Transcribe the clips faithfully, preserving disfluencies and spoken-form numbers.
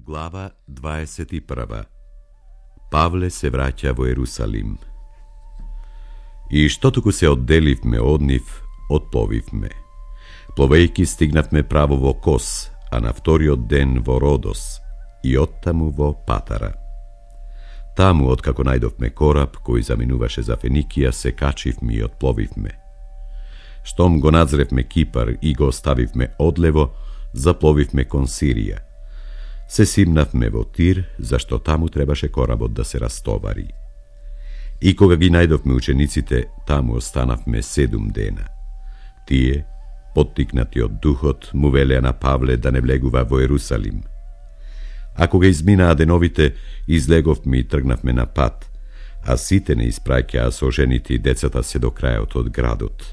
Глава дваесет и прва. Павле се враќа во Ерусалим. И што туку се одделивме од нив, отпловивме. Пловејки стигнавме право во Кос, а на вториот ден во Родос и оттаму во Патара. Таму, откако најдовме кораб кој заминуваше за Феникија, се качивме и отпловивме. Штом го надзревме Кипар и го оставивме одлево, запловивме кон Сирија. Се симнавме во Тир, зашто таму требаше коработ да се растовари. И кога ги најдовме учениците, таму останавме седум дена. Тие, поттикнати од духот, му велеа на Павле да не влегува во Ерусалим. А кога изминаа деновите, излеговме и тргнавме на пат, а сите не испраќаа со жените и децата се до крајот од градот.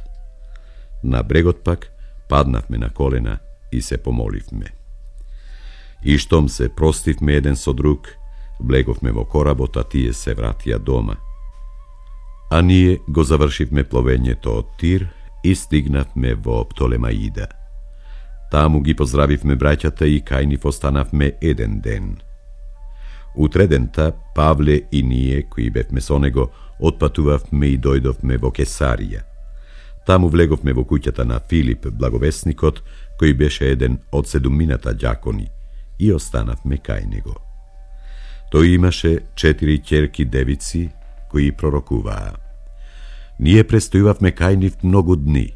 На брегот пак паднавме на колена и се помоливме. И штом се простивме еден со друг, влеговме во коработ, а тие се вратија дома. А ние го завршивме пловењето од Тир и стигнавме во Птолемаида. Таму ги поздравивме браќата и кај нив останавме еден ден. Утредента Павле и ние, кои бевме со него, отпатувавме и дојдовме во Кесарија. Таму влеговме во куќата на Филип, благовесникот, кој беше еден од седумината ѓакони, и останавме кај него. Тој имаше четири ќерки девици кои пророкуваа. Ние престојувавме кај нив многу дни.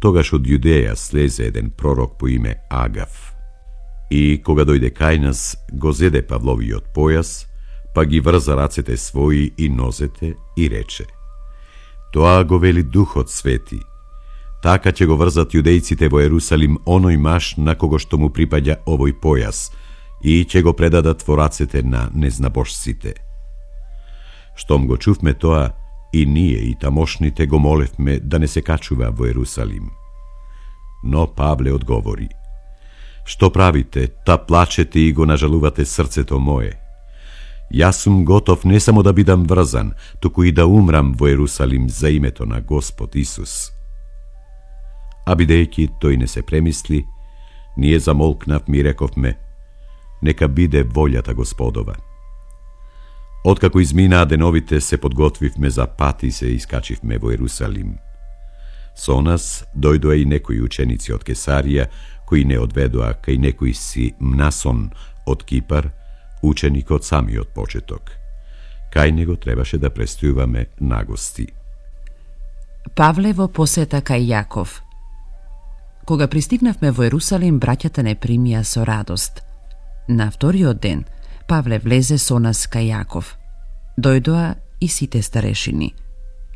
Тогаш од Јудеја слезе еден пророк по име Агав. И кога дојде кај нас, го зеде Павловиот појас, па ги врза рацете своји и нозете и рече: тоа го вели Духот Свети. Така ќе го врзат јудејците во Ерусалим оној маш на кого што му припаѓа овој појас и ќе го предадат во рацете на незнабожците. Штом го чувме тоа, и ние и тамошните го молевме да не се качува во Ерусалим. Но Павле одговори: што правите, та плачете и го нажалувате срцето мое. Јас сум готов не само да бидам врзан, туку и да умрам во Ерусалим за името на Господ Исус. А бидејќи тој не се премисли, ние замолкнавме и рековме: нека биде волјата Господова. Откако изминаа деновите, се подготвивме за пат и се искачивме во Ерусалим. Со нас дојдоа и некои ученици од Кесарија, кои не одведоа кај некој си Мнасон од Кипар, ученик од самиот почеток. Кај него требаше да престојуваме нагости. Павле во посета кај Јаков. Кога пристигнавме во Ерусалим, браќата не примија со радост. На вториот ден, Павле влезе со нас кај Јаков. Дојдоа и сите старешини.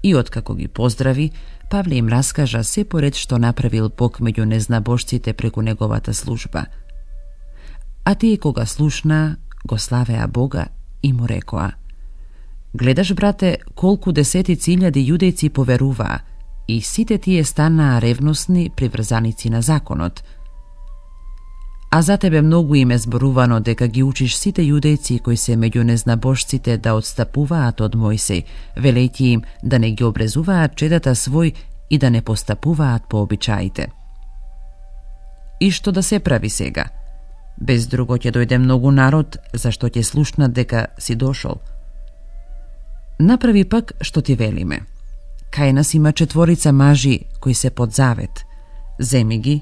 И откако ги поздрави, Павле им раскажа се поред што направил Бог меѓу незнабожците преку неговата служба. А тие кога слушнаа, го славеа Бога и му рекоа: гледаш, брате, колку десетици илјади јудејци поверуваа, и сите тие станаа ревностни приврзаници на законот. А за тебе многу им е зборувано дека ги учиш сите јудејци кои се меѓу незнабожците да отстапуваат од Мојсей, велејќи им да не ги обрезуваат чедата свој и да не постапуваат по обичаите. И што да се прави сега? Без друго ќе дојде многу народ, зашто ќе слушнат дека си дошол. Направи пак што ти велиме. Кај нас има четворица мажи кои се под завет. Земи ги,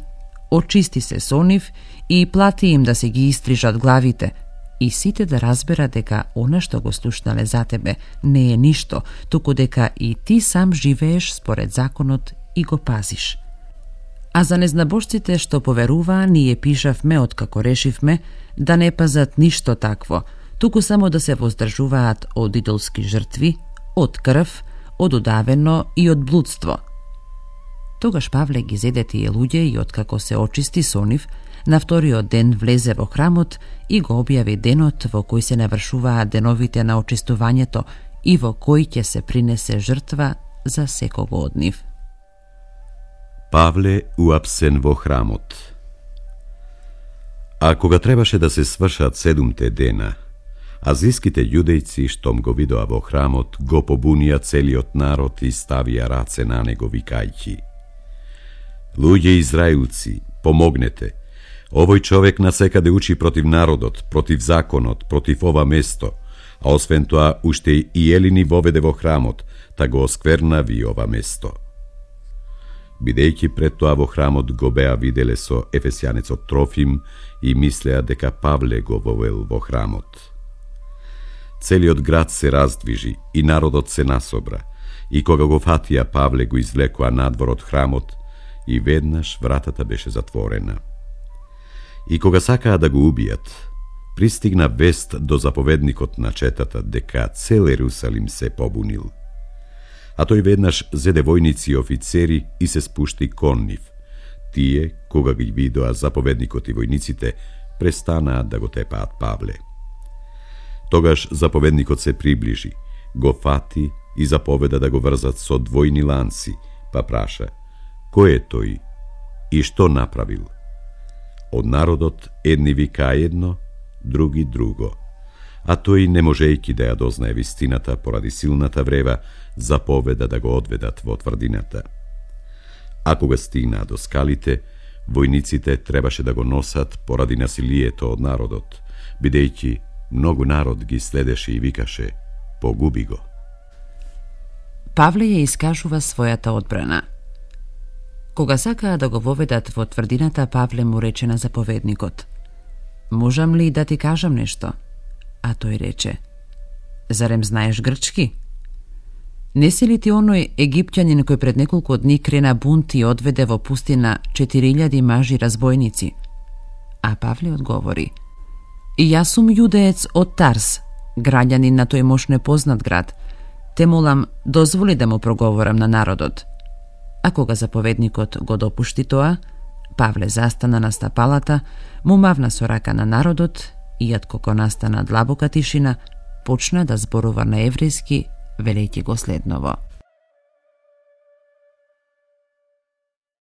очисти се со нив и плати им да се ги истрижат главите, и сите да разбера дека она што го слушнале за тебе не е ништо, туку дека и ти сам живееш според законот и го пазиш. А за незнабожците што поверуваа, ние пишавме откако решивме да не пазат ништо такво, туку само да се воздржуваат од идолски жртви, од крв, од удавено и од блудство. Тогаш Павле ги зеде тие луѓе и откако се очисти со нив, на вториот ден влезе во храмот и го објави денот во кој се навршуваат деновите на очистувањето и во кој ќе се принесе жртва за секого од нив. Павле уапсен во храмот. А кога требаше да се свршат седумте дена, азиските јудејци, штом го видоа во храмот, го побунија целиот народ и ставија раце на него викајќи: луѓе израилци, помогнете, Овој човек насекаде учи против народот, против законот, против ова место, а освен тоа уште и елини воведе во храмот, та го осквернави ова место. Бидејќи пред тоа во храмот го беа виделе со ефесјанецот Трофим и мислеа дека Павле го вовел во храмот. Целиот град се раздвижи и народот се насобра, и кога го фатија Павле го извлекоа надвор од храмот и веднаш вратата беше затворена. И кога сакаа да го убијат, пристигна вест до заповедникот на четата дека цел Ерусалим се побунил. А тој веднаш зеде војници и офицери и се спушти кон нив. Тие, кога ги видоа заповедникот и војниците, престанаа да го тепаат Павле. Тогаш заповедникот се приближи, го фати и заповеда да го врзат со двојни ланци, па праша: кој е тој и што направил? Од народот едни вика едно, други друго, а тој, не можејќи да ја дознае вистината поради силната врева, заповеда да го одведат во тврдината. А кога стигнаа до скалите, војниците требаше да го носат поради насилието од народот, бидејќи многу народ ги следеше и викаше: погуби го. Павле ја искажува својата одбрана. Кога сакаа да го воведат во тврдината, Павле му рече на заповедникот: можам ли да ти кажам нешто? А тој рече: зарем знаеш грчки? Не си ли ти оној египтјанин кој пред неколку дни крена бунт и одведе во пустина четири илјади мажи разбойници? А Павле одговори: и јас сум јудеец од Тарс, граѓанин на тој мош непознат град. Те молам, дозволи да му проговорам на народот. А кога заповедникот го допушти тоа, Павле застана на стапалата, му мавна со рака на народот и откако настана длабока тишина, почна да зборува на еврејски, велејќи го следново: